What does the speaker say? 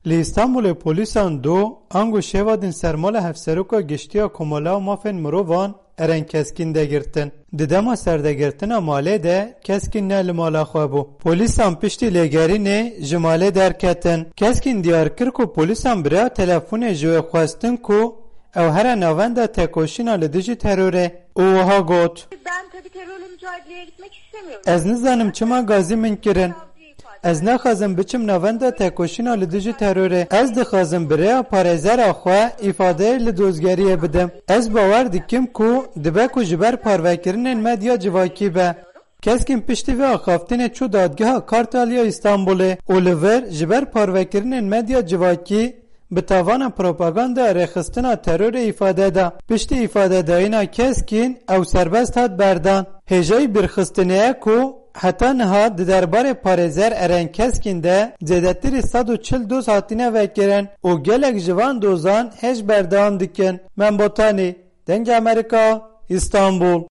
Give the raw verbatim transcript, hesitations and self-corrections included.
Li Îstanbulê polîsan do ango şeva din sermala Hevseroka Giştî ya Komala û Mafên Mirovan Eren Keskîn de girtin. Di dema serdegirtina malê de Keskîn ne li mala xwe bû. Polîsan piştî lêgerînê ji malê derketin. Keskîn diyar kir ku polîsan bi rêya telefonê ji wê xwestin ku ew here navenda tekoşîna li dijî terorê û wiha got: Ben tabii terörle mücadeleye gitmek istemiyorum. Ez nizanim çima gazî min kirin. Ez naxwazim biçim navenda tekoşîna li dijî terorê. Ez dixwazim bi rêya parêzera xwe îfadeyê li dozgeriyê bidim. Ez bawer dikim ku dibe ku ji ber parvekirinên medya civakî be. Keskîn piştî vê axaftinê çû dadgeha Kartal ya Îstanbulê û li vir ji ber parvekirinên medya civakî bi tavana propaganda rêxistina terorê îfade da. Piştî îfadedayîna Keskîn ew serbest hat berdan. Hêjayî bîrxistinê ye ku heta niha di derbarê parêzer Eren Keskîn de zêdetirî sed û çil doz hatine vekirin û gelek ji van dozan hêj berdewam dikin. Mem Botanî, Dengê Amerîka, Îstanbul.